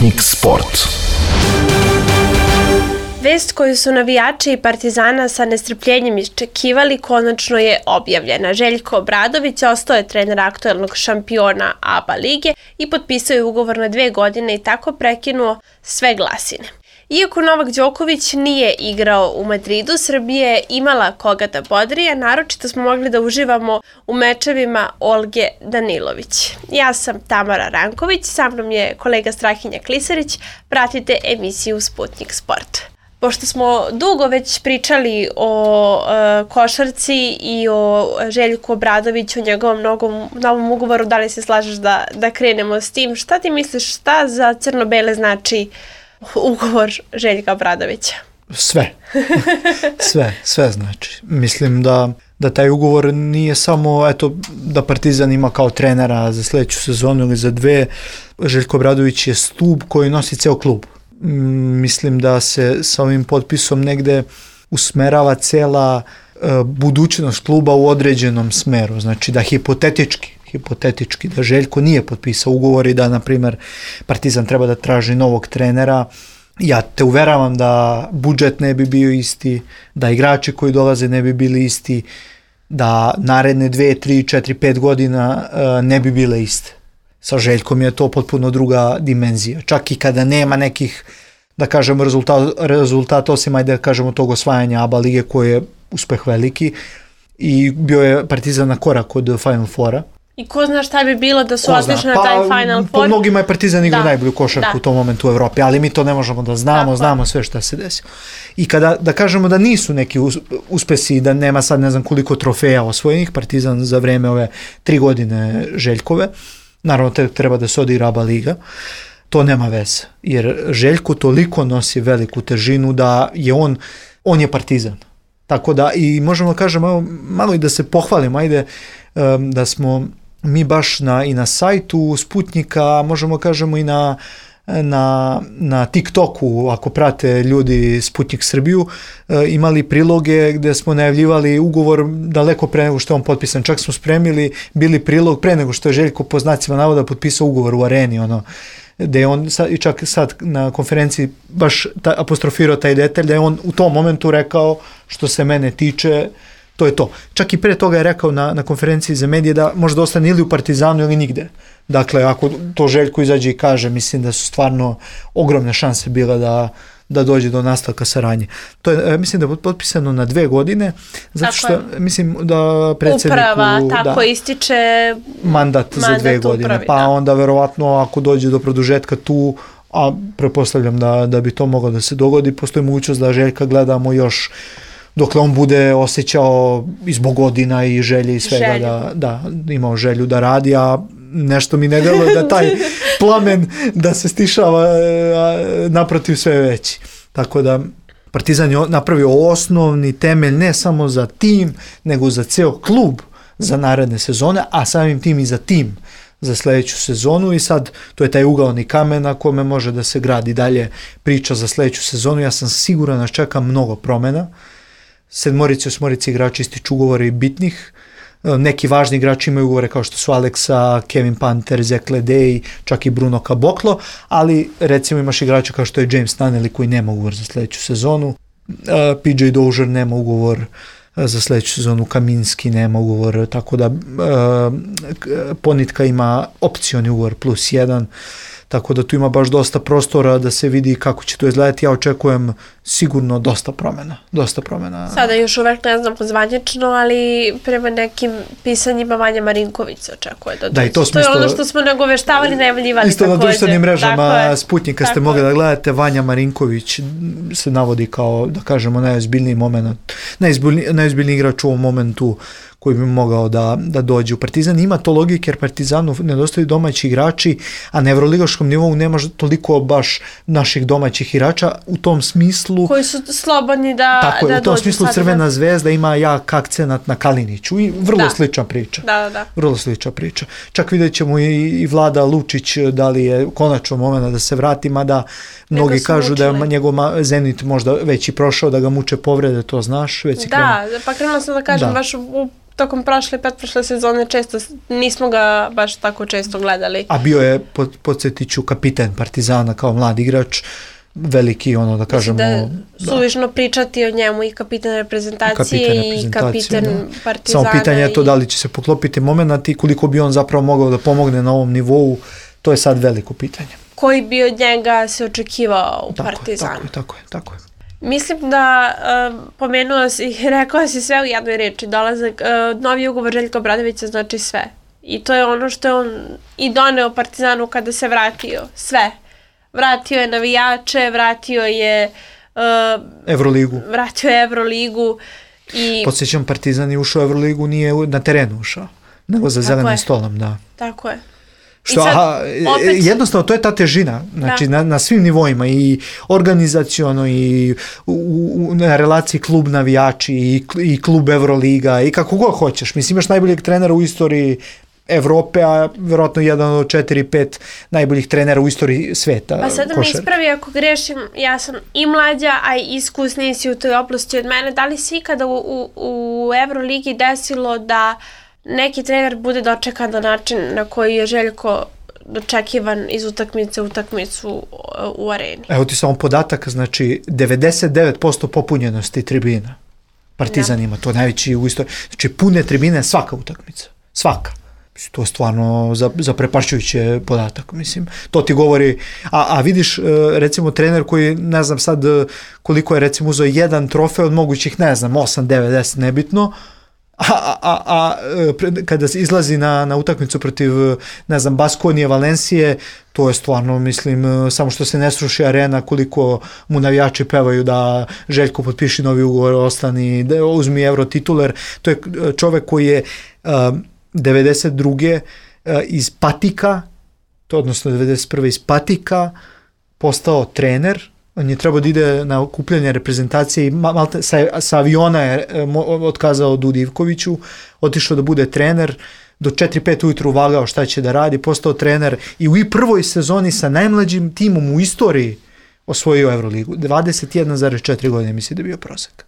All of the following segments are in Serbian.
Sputnik Sport. Vest koju su navijači i Partizana sa nestrpljenjem iščekivali konačno je objavljena. Željko Obradović ostao je trener aktuelnog šampiona ABA lige i potpisao je ugovor na 2 godine i tako prekinuo sve glasine. Iako Novak Đoković nije igrao u Madridu, Srbija je imala koga da bodri, a naročito smo mogli da uživamo u mečevima Olge Danilović. Ja sam Tamara Ranković, sa mnom je kolega Strahinja Klisarić. Pratite emisiju Sputnik Sport. Pošto smo dugo već pričali o košarci i o Željku Obradoviću, o njegovom novom ugovoru, da li se slažeš da krenemo s tim? Šta ti misliš, šta za crno-bele znači ugovor Željka Obradovića? Sve znači. Mislim da taj ugovor nije samo da Partizan ima kao trenera za sljedeću sezonu ili za 2. Željko Obradović je stub koji nosi ceo klub. Mislim da se sa ovim potpisom negde usmerava cela budućnost kluba u određenom smeru. Znači da hipotetički da Željko nije potpisao ugovor i da, na primjer, Partizan treba da traži novog trenera. Ja te uveravam da budžet ne bi bio isti, da igrači koji dolaze ne bi bili isti, da naredne 2, 3, 4, 5 godina ne bi bile iste. Sa Željkom je to potpuno druga dimenzija. Čak i kada nema nekih, da kažemo, rezultata, osim da kažemo tog osvajanja ABA lige koji je uspeh veliki i bio je Partizan na korak od Final Fora. I ko zna šta bi bilo da su otišli na taj Final Four? Po mnogima je Partizan igrao najbolju košarku u tom momentu u Evropi, ali mi to ne možemo da znamo sve šta se desilo. I kada da kažemo da nisu neki uspesi, da nema sad ne znam koliko trofeja osvojenih, Partizan za vreme ove 3 godine Željkove, naravno treba da se odigra ABA liga, to nema veze, jer Željko toliko nosi veliku težinu da je on je Partizan. Tako da i možemo da kažemo, malo i da se pohvalimo, da smo mi baš i na sajtu Sputnika, možemo kažemo i na TikToku, ako prate ljudi Sputnik Srbiju, imali priloge gdje smo najavljivali ugovor daleko pre nego što je on potpisan. Čak smo spremili bili prilog pre nego što je Željko po znacima navoda potpisao ugovor u Areni, gdje je on čak sad na konferenciji baš apostrofirao taj detalj, da je on u tom momentu rekao, što se mene tiče, to je to. Čak i pre toga je rekao na konferenciji za medije da možda ostane ili u Partizanu ili nigde. Dakle, ako to Željko izađe i kaže, mislim da su stvarno ogromne šanse bile da dođe do nastavka saradnje. To je, mislim da je potpisano na 2 godine, zato što mislim da predsjedniku uprava ističe mandat za 2 godine, upravi, pa onda verovatno ako dođe do produžetka tu, a pretpostavljam da bi to moglo da se dogodi, postoji mogućnost da Željka gledamo još dokle on bude osjećao i zbog godina i želje i svega da imao želju da radi, a nešto mi ne deluje da taj plamen da se stišava, naprotiv sve veći. Tako da Partizan je napravio osnovni temelj ne samo za tim, nego za ceo klub za naredne sezone, a samim tim i za tim za sljedeću sezonu i sad to je taj ugaoni kamen na kome može da se gradi dalje priča za sljedeću sezonu. Ja sam siguran da čeka mnogo promjena. 7-8 igrači ističu ugovore i bitnih. Neki važni igrači imaju ugovore kao što su Aleksa, Kevin Panter, Zach Ledej, čak i Bruno Caboclo, ali recimo imaš igrača kao što je James Nunnally koji nema ugovor za sljedeću sezonu, PJ Dozier nema ugovor za sljedeću sezonu, Kaminski nema ugovor, tako da Ponitka ima opcioni ugovor +1, tako da tu ima baš dosta prostora da se vidi kako će to izgledati. Ja očekujem sigurno dosta promjena. Sada još uvek ne znam zvanično, ali prema nekim pisanjima Vanja Marinković se očekuje da dođe. To je ono što smo nagoveštavali, najavljivali isto također. Na društvenim mrežama Sputnika ste mogli da gledate, Vanja Marinković se navodi kao, da kažemo, najozbiljniji igrač u ovom momentu koji bi mogao da dođe u Partizan. Ima to logike jer Partizanu nedostaju domaći igrači, a na evroligaškom nivou nema toliko baš naših domaćih igrača u tom smislu. Koji su slobodni da dođu. U tom smislu Crvena zvezda ima jak akcenat na Kaliniću i vrlo slična priča. Da. Vrlo slična priča. Čak vidjet ćemo i Vlada Lučić da li je konačno moment da se vrati, mada mnogi kažu da je njegov Zenit možda već i prošao, da ga muče povrede, to znaš. Pa krenula sam da kažem baš u tokom prošle i pretprošle sezone često nismo ga baš tako često gledali. A bio je, podsjetit ću, kapiten Partizana kao mlad igrač, veliki, da kažemo... Suvišno pričati o njemu i kapiten reprezentacije i kapiten Partizana. Samo pitanje je to da li će se poklopiti moment i koliko bi on zapravo mogao da pomogne na ovom nivou, to je sad veliko pitanje. Koji bi od njega se očekivao u Partizanu? Tako je. Mislim da pomenuo si, rekao si sve u jednoj reči, dolazak, novi ugovor Željka Obradovića znači sve. I to je ono što je on i doneo Partizanu kada se vratio, sve. Vratio je navijače, vratio je Evroligu. Podsjećam, Partizan je ušao u Evroligu, nije na terenu ušao, nego za zelenim stolom, da. Tako je. Jednostavno, to je ta težina, znači na svim nivoima, i organizaciono, i na relaciji klub navijači, i klub Evroliga, i kako god hoćeš. Mislim, imaš najboljeg trenera u istoriji Evrope, a vjerojatno jedan od 4-5 najboljih trenera u istoriji sveta. Pa sad mi ispravi ako grešim, ja sam i mlađa, a i iskusniji si u toj oblasti od mene. Da li si ikada u Evroligi desilo da neki trener bude dočekan na način na koji je Željko dočekivan iz utakmice u utakmicu u areni? Evo ti samo podatak, znači 99% popunjenosti tribina. Partizan ima to najveći u istoriji. Znači pune tribine svaka utakmica. Svaka. To je stvarno zaprepašćujući podatak, mislim. To ti govori, a vidiš, recimo, trener koji, ne znam sad koliko je, recimo, uzeo jedan trofej od mogućih, ne znam, 8, 9, 10, nebitno, a kada se izlazi na utakmicu protiv, ne znam, Baskonije, Valencije, to je stvarno, mislim, samo što se ne sruši arena, koliko mu navijači pevaju da Željko potpiši novi ugovor, ostani, da uzmi Euro tituler. To je čovek koji je 92. Iz Patika, odnosno 91. iz Patika, postao trener. On je trebao da ide na okupljanje reprezentacije i sa aviona je otkazao Dudi Ivkoviću, otišao da bude trener, do 4-5 ujutru vagao šta će da radi, postao trener i u prvoj sezoni sa najmlađim timom u istoriji osvojio Evroligu. 21,4 godine misli da je bio prosek.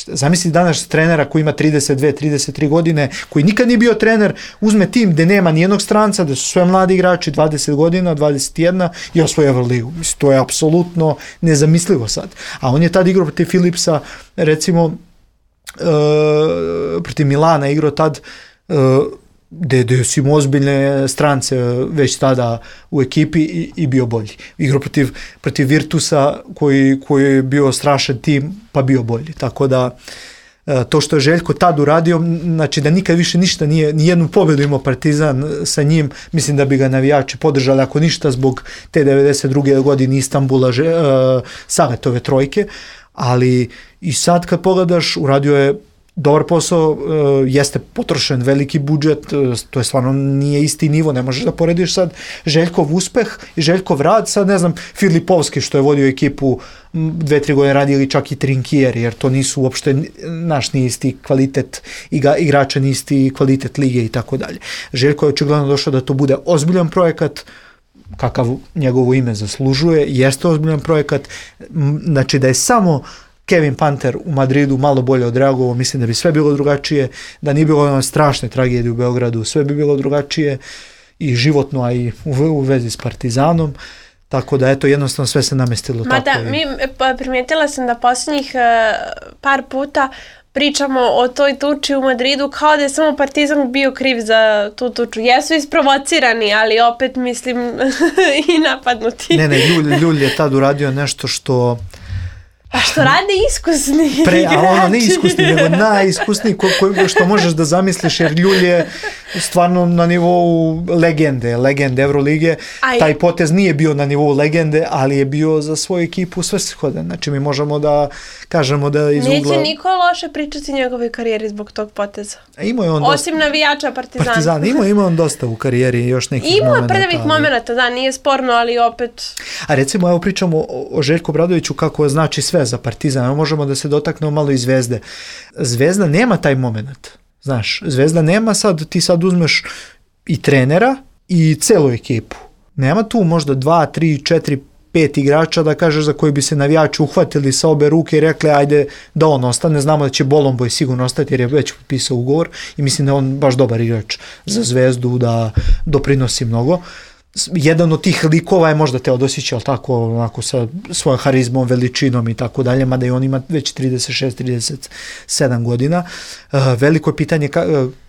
Zamisli danas trenera koji ima 32-33 godine, koji nikad nije bio trener, uzme tim gde nema nijednog stranca, da su sve mladi igrači, 20 godina, 21 i osvoje Evroligu. Mislim, to je apsolutno nezamislivo sad. A on je tad igrao protiv Philipsa, recimo, protiv Milana igrao tad, gde su im ozbiljne strance već tada u ekipi i bio bolji. Igrao protiv Virtusa koji je bio strašan tim, pa bio bolji. Tako da to što je Željko tad uradio, znači da nikad više ništa nije, nijednu pobedu imao Partizan sa njim, mislim da bi ga navijači podržali, ako ništa zbog te 92. godine Istanbula, Savetove trojke, ali i sad kad pogledaš, uradio je dobar posao, jeste potrošen veliki budžet, to je stvarno nije isti nivo, ne možeš da porediš sad Željkov uspeh i Željkov rad, sad ne znam, Filipovski što je vodio ekipu 2-3 godine radi ili čak i Trinkier, jer to nisu uopšte ni isti kvalitet igrača, ni isti kvalitet lige i tako dalje. Željko je očigledno došao da to bude ozbiljan projekat, kakav njegovo ime zaslužuje, jeste ozbiljan projekat, znači da je samo Kevin Panter u Madridu malo bolje odreagovao, mislim da bi sve bilo drugačije, da nije bilo strašne tragedije u Beogradu, sve bi bilo drugačije i životno, a i u vezi s Partizanom, tako da eto, jednostavno sve se namestilo tako. Primijetila sam da posljednjih par puta pričamo o toj tuči u Madridu kao da je samo Partizan bio kriv za tu tuču. Jesu isprovocirani, ali opet mislim i napadnuti. Ne, Ljulj je tad uradio nešto što... A što rade iskusni igrači. Ne iskusni, nego najiskusniji što možeš da zamisliš, jer Ljulj je stvarno na nivou legende Evrolige. Taj potez nije bio na nivou legende, ali je bio za svoju ekipu svrsishodan. Znači mi možemo da kažemo da iz ugla... Neće niko loše pričati njegove karijeri zbog tog poteza. Osim navijača Partizana. Ima on dosta u karijeri, još nekih momenta. Ima prvih momenta, da, nije sporno, ali opet... A recimo, evo pričamo o Željku Obradoviću kako znači sve za Partizan. Možemo da se dotaknemo malo i Zvezde. Zvezda nema taj moment. Znaš, Zvezda nema sad, ti sad uzmeš i trenera i celu ekipu. Nema tu možda 2, 3, 4, 5 igrača da kažeš za koji bi se navijači uhvatili sa obe ruke i rekli ajde da on ostane, znamo da će Bolomboj sigurno ostati jer je već potpisao ugovor i mislim da je on baš dobar igrač za Zvezdu, da doprinosi mnogo. Jedan od tih likova je možda Teodosić, ali tako, onako sa svojom harizmom, veličinom i tako dalje, mada i on ima već 36-37 godina. Veliko je pitanje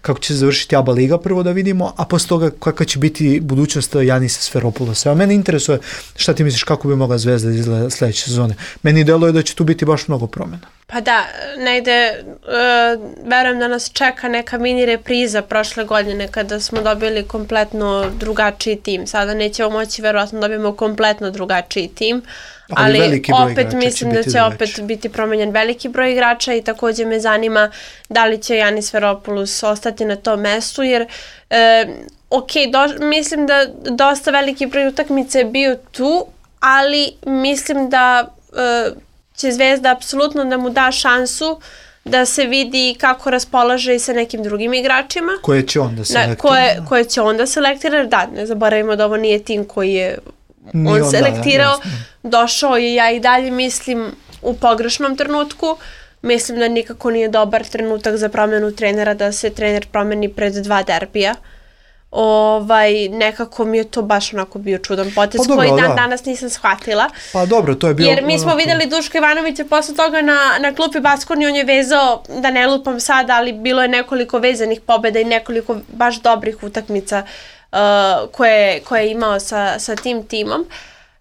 kako će se završiti ABA liga, prvo da vidimo, a posle toga kakva će biti budućnost Janisa Sferopoulosa. A mene interesuje šta ti misliš kako bi mogla Zvezda izgleda sledeće sezone. Meni deluje da će tu biti baš mnogo promjena. Pa da, negde verujem da nas čeka neka mini repriza prošle godine kada smo dobili kompletno drugačiji tim. Sada nećemo moći verovatno dobijemo kompletno drugačiji tim, ali opet mislim da će opet biti promenjen veliki broj igrača i takođe me zanima da li će Janis Sferopoulos ostati na tom mestu jer mislim da dosta veliki broj utakmica je bio tu, ali mislim da će Zvezda apsolutno da mu da šansu da se vidi kako raspolaže i sa nekim drugim igračima. Koje će onda selektira. Koje će onda selektira, da, ne zaboravimo da ovo nije tim koji je on selektirao. Došao je, ja i dalje mislim, u pogrešnom trenutku. Mislim da nikako nije dobar trenutak za promjenu trenera, da se trener promeni pred 2 derbija. Nekako mi je to baš onako bio čudan potez koji danas nisam shvatila. Pa dobro, to je bilo... Jer mi smo videli Duška Ivanovića posle toga na klupi Baskonije, on je vezao, da ne lupam sad, ali bilo je nekoliko vezanih pobjeda i nekoliko baš dobrih utakmica koje je imao sa tim timom.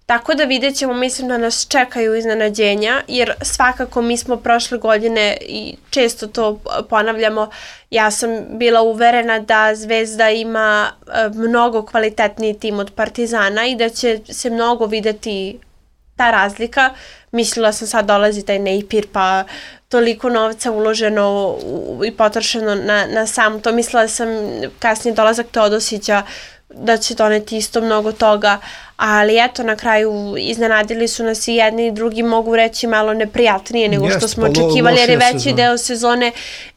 Tako da vidjet ćemo, mislim da nas čekaju iznenađenja, jer svakako mi smo prošle godine i često to ponavljamo, ja sam bila uverena da Zvezda ima mnogo kvalitetniji tim od Partizana i da će se mnogo videti ta razlika. Mislila sam sad dolazi taj Napier pa toliko novca uloženo i potrošeno na sam to. Mislila sam kasnije dolazak Teodosića da će doneti isto mnogo toga, ali eto na kraju iznenadili su nas i jedni i drugi, mogu reći malo neprijatnije nego što smo očekivali jer je veći deo sezone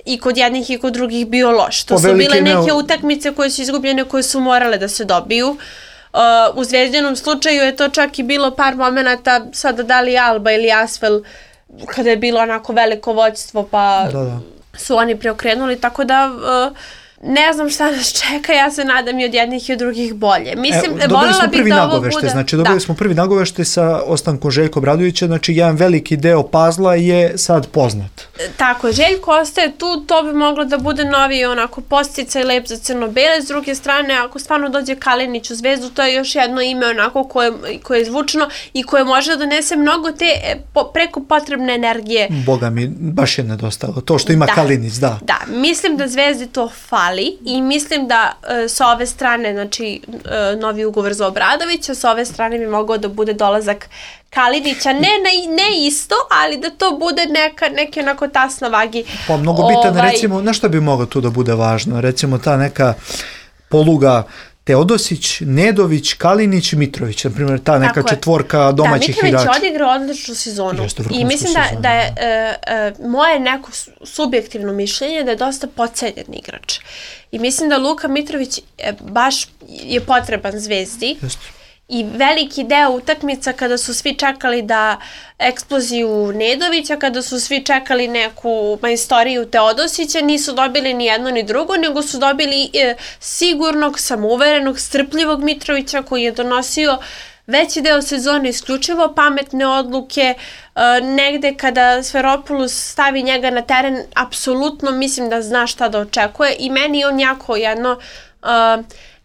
i kod jednih i kod drugih bio loš. To su bile neke utakmice koje su izgubljene, koje su morale da se dobiju. U Zvezdinom slučaju je to čak i bilo par momenata, sada da li Alba ili Asvel, kada je bilo onako veliko vođstvo pa su oni preokrenuli, tako da ne znam šta nas čeka, ja se nadam i od jednih i od drugih bolje. Mislim, dobili smo prvi nagovešte, znači dobili smo prvi nagovešte sa ostankom Željka Obradovića, znači jedan veliki deo pazla je sad poznat. Tako, Željko ostaje tu, to bi moglo da bude novi onako posticaj lep za crno-bele, s druge strane, ako stvarno dođe Kalinić u Zvezdu, to je još jedno ime onako koje je zvučno i koje može da donese mnogo te preko potrebne energije. Boga mi, baš je nedostalo, to što ima Kalinić, da. Da, mislim da Zvezdi to fali i mislim da sa ove strane, znači novi ugovor za Obradovića, sa ove strane bi mogao da bude dolazak Kalinića, ne isto, ali da to bude neki onako tas na vagi. Pa mnogo bitan, recimo, na što bi moglo tu da bude važno? Recimo ta neka poluga Teodosić, Nedović, Kalinić, Mitrović, na primjer ta neka četvorka domaćih igrača. Da, Mitrović odigrao odličnu sezonu i mislim da je moje neko subjektivno mišljenje da je dosta podcenjen igrač. I mislim da Luka Mitrović baš je potreban Zvezdi. I veliki deo utakmica kada su svi čekali da eksploziju Nedovića, kada su svi čekali neku majstoriju Teodosića, nisu dobili ni jedno ni drugo, nego su dobili sigurnog, samouverenog, strpljivog Mitrovića koji je donosio veći deo sezone isključivo pametne odluke. Negde kada Sferopoulos stavi njega na teren, apsolutno mislim da zna šta da očekuje i meni on jako jedno...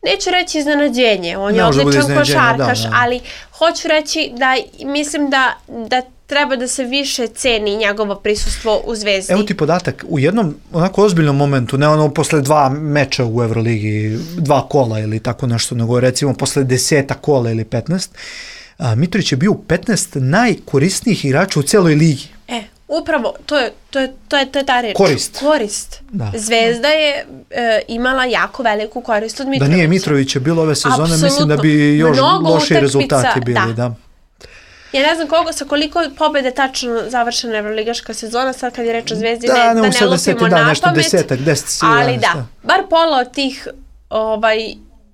Neću reći iznenađenje, on je odličan košarkaš, ali hoću reći da mislim da treba da se više ceni njegovo prisustvo u Zvezdi. Evo ti podatak, u jednom onako ozbiljnom momentu, ne ono posle 2 meča u Euroligi, 2 kola ili tako nešto, nego recimo posle 10 kola ili 15, Mitrović je bio 15 najkorisnijih igrača u celoj ligi. Upravo, to je ta reč. Korist. Da. Zvezda je imala jako veliku korist od Mitrovića. Da nije Mitrovića bilo ove sezone, mislim da bi još loši rezultati bili. Da. Ja ne znam sa koliko pobjede tačno završena Evroligaška sezona, sad kad je reč o Zvezdi, da ne lupimo na pamet, ali da, bar pola od tih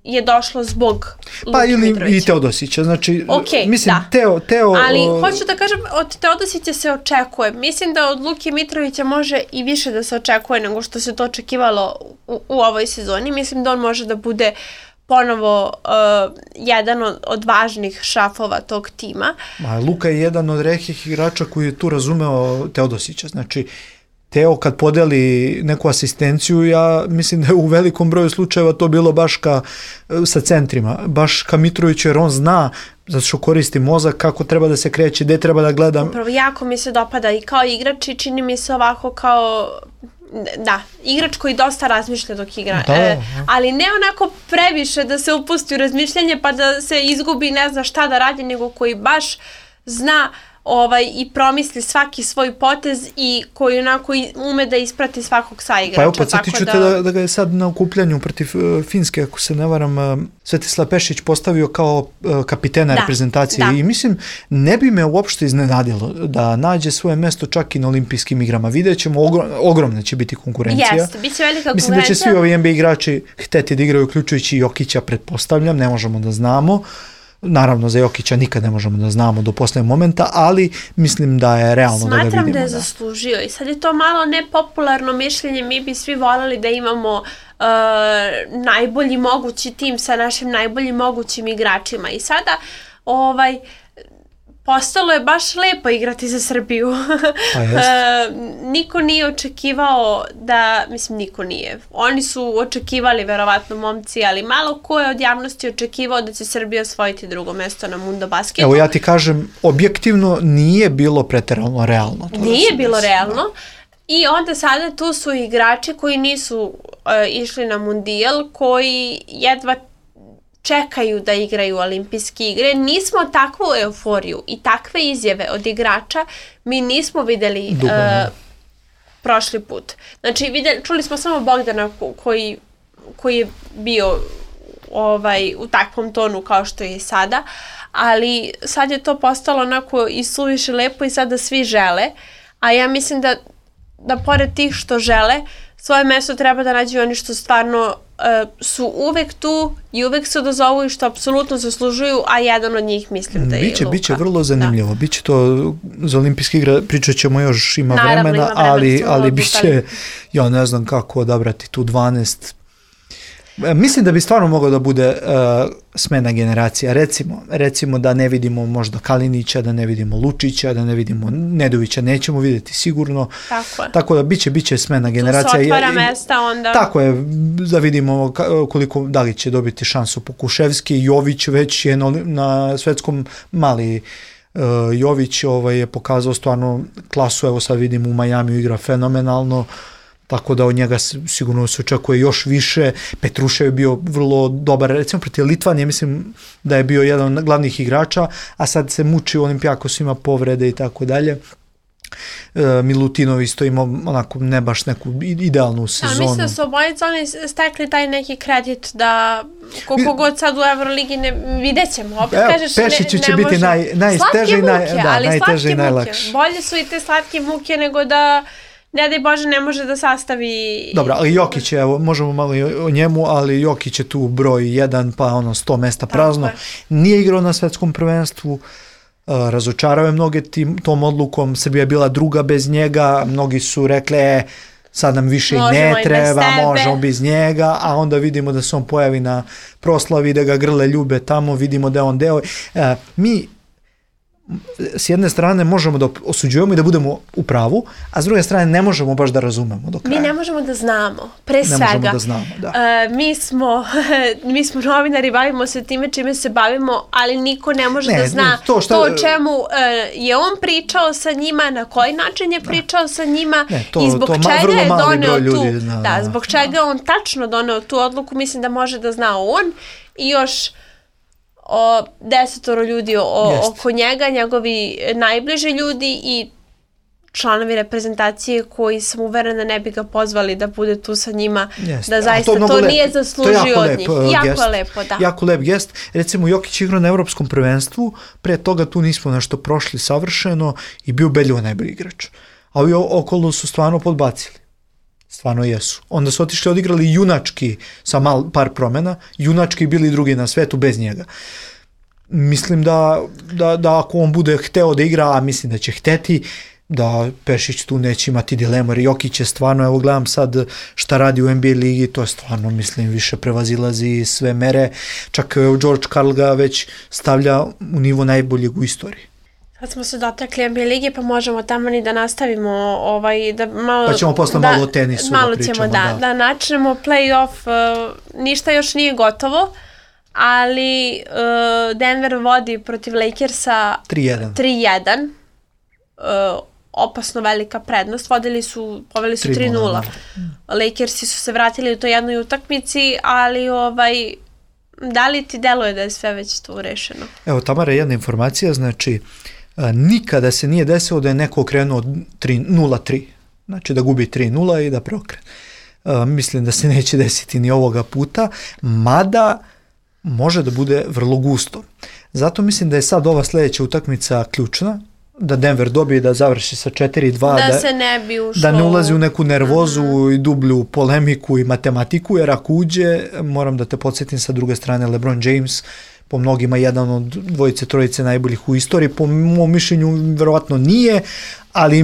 je došlo zbog Pa Luke ili Mitrovića. i Teodosića, znači, mislim, da. Teo... Ali hoću da kažem, od Teodosića se očekuje. Mislim da od Luke Mitrovića može i više da se očekuje nego što se to očekivalo u ovoj sezoni. Mislim da on može da bude ponovo jedan od važnih šrafova tog tima. Luka je jedan od retkih igrača koji je tu razumeo Teodosića, znači Teo kad podeli neku asistenciju, ja mislim da je u velikom broju slučajeva to bilo baš sa centrima, baš ka Mitroviću, jer on zna, zato što koristi mozak, kako treba da se kreće, gde treba da gleda. Upravo, jako mi se dopada i kao igrač i čini mi se ovako kao, da, igrač koji dosta razmišlja dok igra, ali ne onako previše da se upusti u razmišljanje pa da se izgubi, ne zna šta da radi, nego koji baš zna i promisli svaki svoj potez i koji onako ume da isprati svakog saigrača. Pa evo, podsjetit ću te da ga je sad na okupljanju protiv Finske, ako se ne varam, Svetislav Pešić postavio kao kapitena reprezentacije i mislim, ne bi me uopšte iznenadilo da nađe svoje mesto čak i na olimpijskim igrama. Vidjet ćemo, ogromna će biti konkurencija. Jeste, bit će velika konkurencija. Mislim da će svi ovi NBA igrači hteti da igraju, uključujući Jokića, pretpostavljam, ne možemo da znamo. Naravno, za Jokića nikad ne možemo da znamo do poslednjeg momenta, ali mislim da je realno da ga vidimo. Smatram da je zaslužio i sad je to malo nepopularno mišljenje, mi bi svi voljeli da imamo najbolji mogući tim sa našim najboljim mogućim igračima i sada postalo je baš lepo igrati za Srbiju. Niko nije očekivao niko nije. Oni su očekivali, verovatno, momci, ali malo ko je od javnosti očekivao da će Srbija osvojiti drugo mesto na Mundo Basketu. Evo, ja ti kažem, objektivno nije bilo preterano realno. Nije bilo realno. I onda sada tu su igrači koji nisu išli na Mundijal, koji jedva čekaju da igraju olimpijske igre. Nismo takvu euforiju i takve izjave od igrača mi nismo videli prošli put. Znači, čuli smo samo Bogdana koji je bio u takvom tonu kao što je i sada, ali sad je to postalo onako i suviše lepo i sada svi žele, a ja mislim da pored tih što žele, svoje mesto treba da nađu oni što stvarno su uvek tu i uvek se odazovu i što apsolutno zaslužuju, a jedan od njih mislim da je Luka. Biće vrlo zanimljivo, biće to za olimpijske igre, pričat ćemo još, ima vremena, ali biće, ja ne znam kako odabrati tu 12. Mislim da bi stvarno moglo da bude smena generacija. Recimo da ne vidimo možda Kalinića, da ne vidimo Lučića, da ne vidimo Nedovića, nećemo vidjeti sigurno. Tako da biće smena generacija. Tu se otvara mesta onda. Tako je, da vidimo da li će dobiti šansu Pokuševski. Jović već je na svetskom mali. Jović je pokazao stvarno klasu, evo sad vidimo u Majamiju igra fenomenalno. Tako da od njega sigurno se očekuje još više. Petrušev je bio vrlo dobar, recimo protiv Litvanije, mislim da je bio jedan od glavnih igrača, a sad se muči u Olimpijakos, ima povrede i tako dalje. Milutinov isto ima onako ne baš neku idealnu sezonu. Mislim da su obojica oni stekli taj neki kredit da koliko god sad u Euroligi vidjet ćemo. Opet kažeš Pešiću će biti najteže i najlakše. Bolje su i te slatke muke nego da ne daj Bože ne može da sastavi... Dobro, ali Jokić je, evo, možemo malo o njemu, ali Jokić je tu broj 1, pa 100 mesta prazno. Nije igrao na svetskom prvenstvu, razočarao je mnoge tom odlukom, Srbija je bila druga bez njega, mnogi su rekli, sad nam više i ne treba, možemo bez njega, a onda vidimo da se on pojavi na proslavi, da ga grle ljube tamo, vidimo da je on deo. Mi s jedne strane možemo da osuđujemo i da budemo u pravu, a s druge strane ne možemo baš da razumemo do kraja. Mi ne možemo da znamo, pre svega. Ne možemo da znamo, da. Mi smo novinari, bavimo se time čime se bavimo, ali niko ne može da zna to o čemu je on pričao sa njima, na koji način je pričao sa njima i zbog čega je doneo tu. Zbog čega on tačno doneo tu odluku, mislim da može da zna on i još 10 ljudi oko njega, njegovi najbliži ljudi i članovi reprezentacije koji sam uverena ne bi ga pozvali da bude tu sa njima, da zaista to nije zaslužio od njih. Jako je lepo, da. Jako lep gest. Recimo, Jokić igrao na Evropskom prvenstvu, pre toga tu nismo nešto prošli savršeno i bio ubedljivo najbolji igrač. A ovi okolo su stvarno podbacili. Stvarno jesu. Onda su otišli odigrali junački sa par promjena, junački bili drugi na svetu bez njega. Mislim da ako on bude hteo da igra, a mislim da će hteti, da Pešić tu neće imati dilemu, jer Jokić je stvarno, evo gledam sad šta radi u NBA ligi, to je stvarno, mislim, više prevazilazi sve mere, čak George Karl ga već stavlja u nivo najboljeg u istoriji. Sad smo se dotakli NBA lige, pa možemo tamo ni da nastavimo, da malo... Pa ćemo posle malo o tenisu malo da pričamo. Ćemo da načnemo play-off, ništa još nije gotovo, ali Denver vodi protiv Lakersa 3-1. Opasno velika prednost, poveli su 3-0. Lakersi su se vratili u toj jednoj utakmici, ali da li ti deluje da je sve već tu rešeno? Evo, Tamara, jedna informacija, znači nikada se nije desilo da je neko okrenuo 0-3, znači da gubi 3-0 i da preokrene. Mislim da se neće desiti ni ovoga puta, mada može da bude vrlo gusto. Zato mislim da je sad ova sljedeća utakmica ključna, da Denver dobije, da završi sa 4-2, da se ne bi ušlo, da ne ulazi u neku nervozu i dublju polemiku i matematiku, jer ako uđe, moram da te podsjetim sa druge strane, LeBron James, po mnogima jedan od dvojice, trojice najboljih u istoriji, po mom mišljenju verovatno nije, ali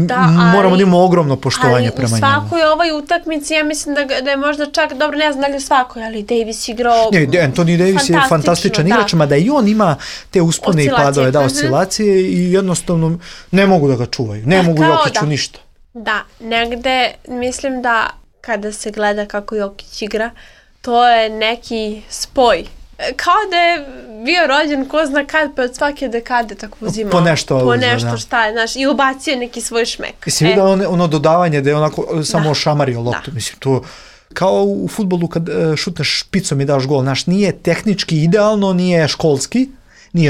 moramo da imamo ogromno poštovanje prema njemu. Ali u svakoj ovoj utakmici, ja mislim da je možda čak, dobro, ne znam da li je svakoj, ali Davis igrao Anthony Davis je fantastičan igrač, mada i on ima te uspone i padove, oscilacije i jednostavno ne mogu da ga čuvaju, ne mogu Jokiću ništa. Da, negde mislim da kada se gleda kako Jokić igra, to je neki spoj. Kao da je bio rođen ko zna kad, pa od svake dekade tako uzimao. Po nešto šta je, znaš, i ubacio neki svoj šmek. Jesi vidio ono dodavanje da je onako samo ošamario loptu, mislim, to kao u fudbalu kad šutneš špicom i daš gol, znaš, nije tehnički idealno, nije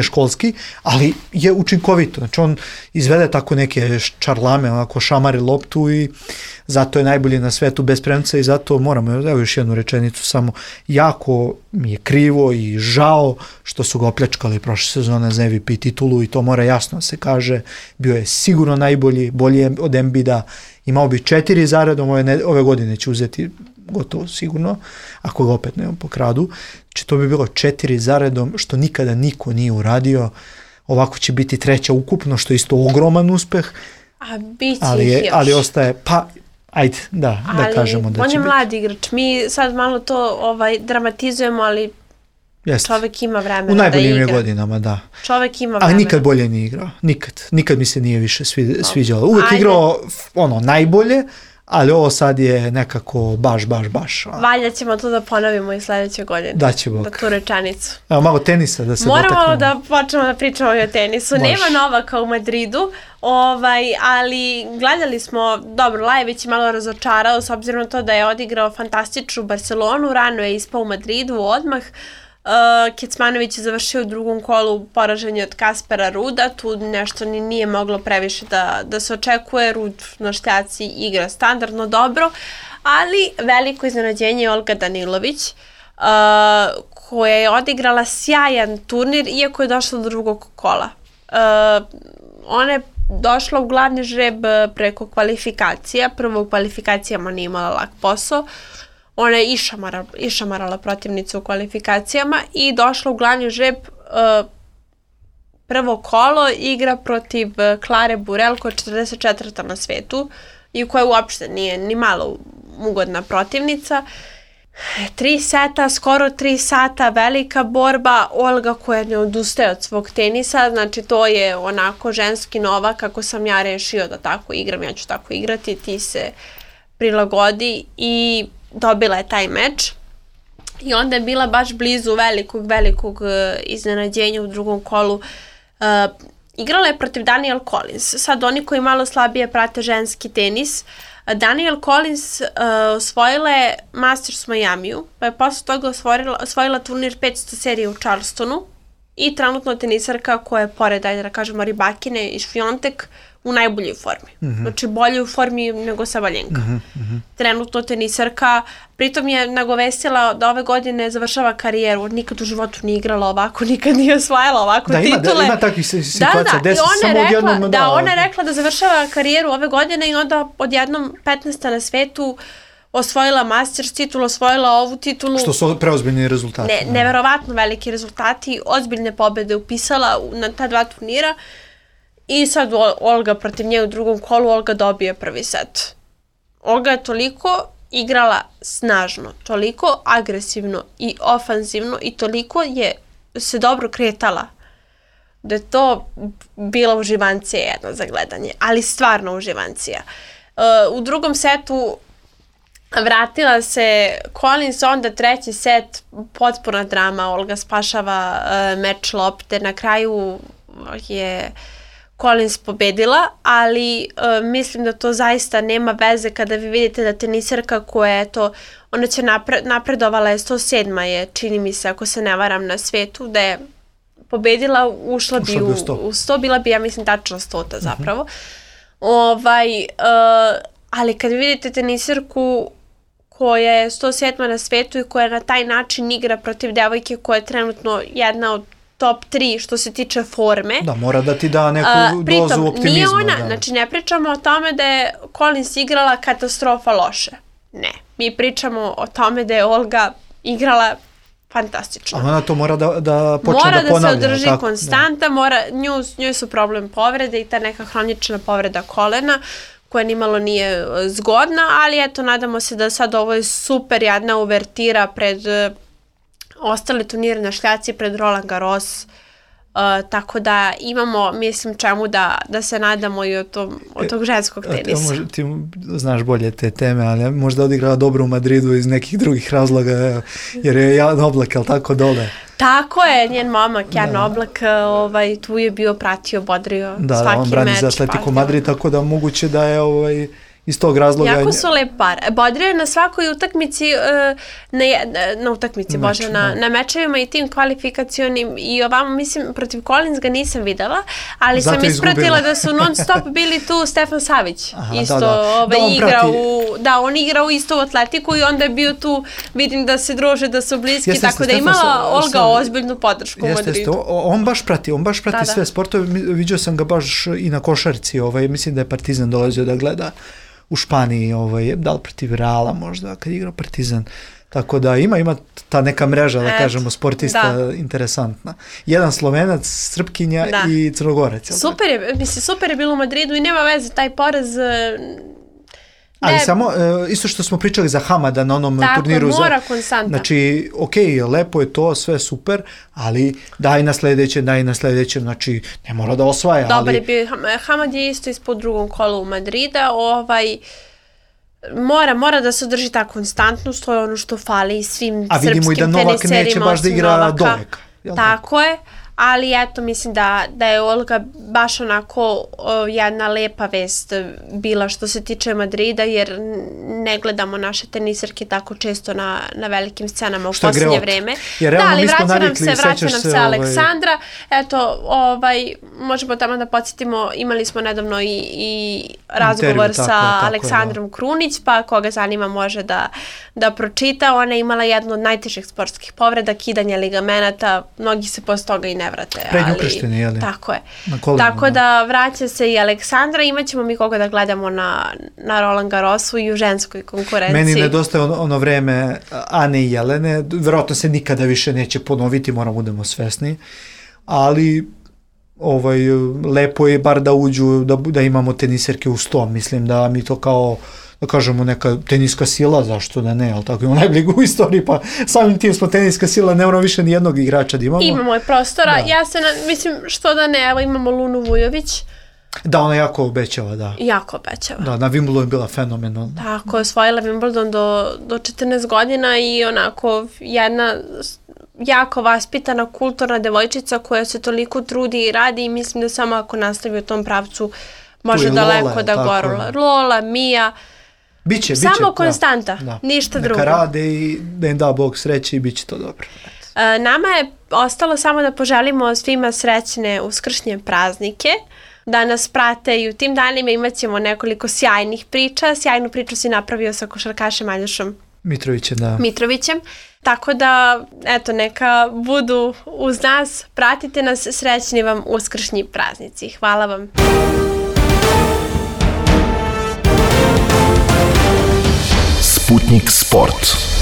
školski, ali je učinkovito. Znači on izvede tako neke čarlame, onako šamari loptu i zato je najbolji na svetu bez premca i zato moramo, evo još jednu rečenicu samo, jako mi je krivo i žao što su ga opljačkali prošle sezone za MVP titulu i to mora jasno se kaže, bio je sigurno najbolji, bolji od Embida, imao bi 4 zaredom, ove godine će uzeti gotovo sigurno, ako ga opet ne pokradu, znači to bi bilo 4 zaredom, što nikada niko nije uradio, ovako će biti 3. ukupno, što je isto ogroman uspeh, ali ostaje, pa ajde, da kažemo da će biti. On je mladi igrač, mi sad malo to dramatizujemo, ali čovek ima vremena da igra. U najboljim je godinama, da. Čovek ima vremena. Ali nikad bolje nije igrao, nikad mi se nije više sviđalo. Uvijek igrao najbolje, ali ovo sad je nekako baš. Valja ćemo to da ponovimo i sljedeće godine. Da će Bog. Da tu rečanicu. Evo malo tenisa da se dotaknemo. Moramo da počnemo da pričamo o tenisu. Nema Novaka u Madridu, ali gledali smo, dobro, Lajević je malo razočarao s obzirom na to da je odigrao fantastičnu Barcelonu, rano je ispao u Madridu odmah. Kecmanović je završio u drugom kolu poraženje od Kaspera Ruda, tu nešto nije moglo previše da se očekuje, Rud na štaci igra standardno dobro, ali veliko iznenađenje je Olga Danilović, koja je odigrala sjajan turnir, iako je došla do drugog kola. Ona je došla u glavni žreb preko kvalifikacija, prvo u kvalifikacijama nije imala lak posao, ona je išamarala protivnicu u kvalifikacijama i došla u glavni žreb, prvo kolo, igra protiv Klare Burel, koja je 44. na svetu i koja uopšte nije ni malo ugodna protivnica. 3 seta, skoro 3 sata, velika borba, Olga koja ne odustaje od svog tenisa, znači to je onako ženski Novak, kako sam ja rešio da tako igram, ja ću tako igrati, ti se prilagodi i dobila je taj meč i onda je bila baš blizu velikog iznenađenja u drugom kolu. Igrala je protiv Danielle Collins. Sad oni koji malo slabije prate ženski tenis, Danielle Collins osvojila je Masters u Majamiju, pa je posle toga osvojila turnir 500 serije u Charlestonu i trenutno tenisarka koja je pored, ajde da kažemo, Rybakine i Šfiontek u najboljoj formi. Znači bolje u formi nego Sabalenka. Trenutno tenisarka, pritom je nagovestila da ove godine završava karijeru, nikad u životu nije igrala ovako, nikad nije osvajala ovako titule. Da, ima takvih situacija, desi samo odjednom. Da, ona je rekla da završava karijeru ove godine i onda odjednom 15. na svetu osvojila Masters titulu, osvojila ovu titulu. Što su preozbiljni rezultati. Neverovatno veliki rezultati, ozbiljne pobede upisala na ta 2 turnira i sad Olga protiv nje u drugom kolu, Olga dobije prvi set. Olga je toliko igrala snažno, toliko agresivno i ofanzivno i toliko je se dobro kretala da je to bila uživancija jedna za gledanje, ali stvarno uživancija. U drugom setu vratila se Collins, onda treći set, potpuna drama, Olga spašava meč lopte, na kraju je Collins pobedila, ali mislim da to zaista nema veze kada vi vidite da teniserka koja je to, ona će napredovala je 107. je, čini mi se, ako se ne varam, na svetu, da je pobedila, ušla bi u 100, bila bi, ja mislim, tačno 100 zapravo. Ali kad vidite teniserku koja je 107. na svetu i koja na taj način igra protiv devojke koja je trenutno jedna od top 3 što se tiče forme. Da, mora da ti da neku dozu optimizma. Nije ona, znači ne pričamo o tome da je Collins igrala katastrofa loše. Ne, mi pričamo o tome da je Olga igrala fantastično. A ona to mora da počne da ponavlja. Mora da se održi konstanta, njoj su problem povrede i ta neka hronična povreda kolena koja nimalo nije zgodna, ali eto, nadamo se da sad ovo je super jedna uvertira pred ostale turnire na šljaci, pred Roland Garros, tako da imamo, mislim, čemu da se nadamo i od tog ženskog tenisa. Ti znaš bolje te teme, ali možda odigrala dobro u Madridu iz nekih drugih razloga, jer je Jan Oblak, ali tako dole. Tako je, njen momak Jan Oblak tu je bio, pratio, bodrio svaki meč. Da, on brani za Atletico Madrid, tako da moguće da je iz tog razloga... Jako su lep par. Bodrio je na svakoj utakmici, na utakmici, Bože, na mečevima i tim kvalifikacionim i ovamo, mislim, protiv Collins ga nisam videla, ali zato sam ispratila da su non stop bili tu Stefan Savić. Isto on igra u isto u Atletiku i onda je bio tu, vidim da se druže, da su bliski, tako da imala Olga ozbiljnu podršku u Madridu. On baš prati sve sportove, vidio sam ga baš i na košarci, mislim da je Partizan dolazio da gleda u Španiji, da li protiv Reala možda, kad je igrao Partizan. Tako da ima ta neka mreža, da kažemo, sportista interesantna. Jedan Slovenac, Srpkinja i Crnogorac. Super je bilo u Madridu i nema veze, taj poraz... Ali samo, isto što smo pričali za Hamada na onom turniru. Tako, mora konstanta. Znači, lepo je to, sve super, ali daj na sljedeće, znači, ne mora da osvaja. Dobar je bio, Hamad je isto ispod drugom kolu u Madrida, mora da se održi ta konstantnost, to je ono što fali svim srpskim teniserima. A vidimo i da Novak neće baš da igra doveka. Tako je. Ali eto, mislim da je Olga baš onako jedna lepa vest bila što se tiče Madrida, jer ne gledamo naše teniserke tako često na velikim scenama u posljednje vreme. Da, ali vraća nam se Aleksandra. Eto, možemo tamo da podsjetimo, imali smo nedavno i razgovor sa Aleksandrom Krunić, pa koga zanima može da pročita. Ona je imala jednu od najtežih sportskih povreda, kidanje ligamenata, mnogi se posle toga i ne vrate. Prednju krštini, jel? Tako je. Tako da vraća se i Aleksandra, imaćemo mi koga da gledamo na Roland Garrosu i u ženskoj konkurenciji. Meni nedostaje ono vreme Ane i Jelene, verovatno se nikada više neće ponoviti, moramo budemo svesni, ali lepo je bar da uđu, da imamo teniserke u 100, mislim da mi to kao da kažemo neka teniska sila, zašto da ne, ali tako imamo najbligu u istoriji, pa samim tim smo teniska sila, ne moramo više ni jednog igrača da imamo. Imamo je prostora, ja se, mislim, što da ne, evo imamo Lunu Vujović. Da, ona jako obećava, da. Jako obećava. Da, na Wimbledonu je bila fenomenalna. Tako, osvojila Wimbledon do 14 godina i onako jedna jako vaspitana, kulturna devojčica koja se toliko trudi i radi i mislim da samo ako nastavi u tom pravcu može daleko da gora. Lola, Mija, biće, samo konstanta, ništa drugo. Neka rade i da im da Bog sreće i bit će to dobro. Nama je ostalo samo da poželimo svima srećne uskršnje praznike, da nas prate i u tim danima imat ćemo nekoliko sjajnih priča. Sjajnu priču si napravio sa košarkašem Aljošom Mitrovićem. Tako da, eto, neka budu uz nas, pratite nas, srećni vam uskršnji praznici. Hvala vam. Sputnik Sputnik Sport.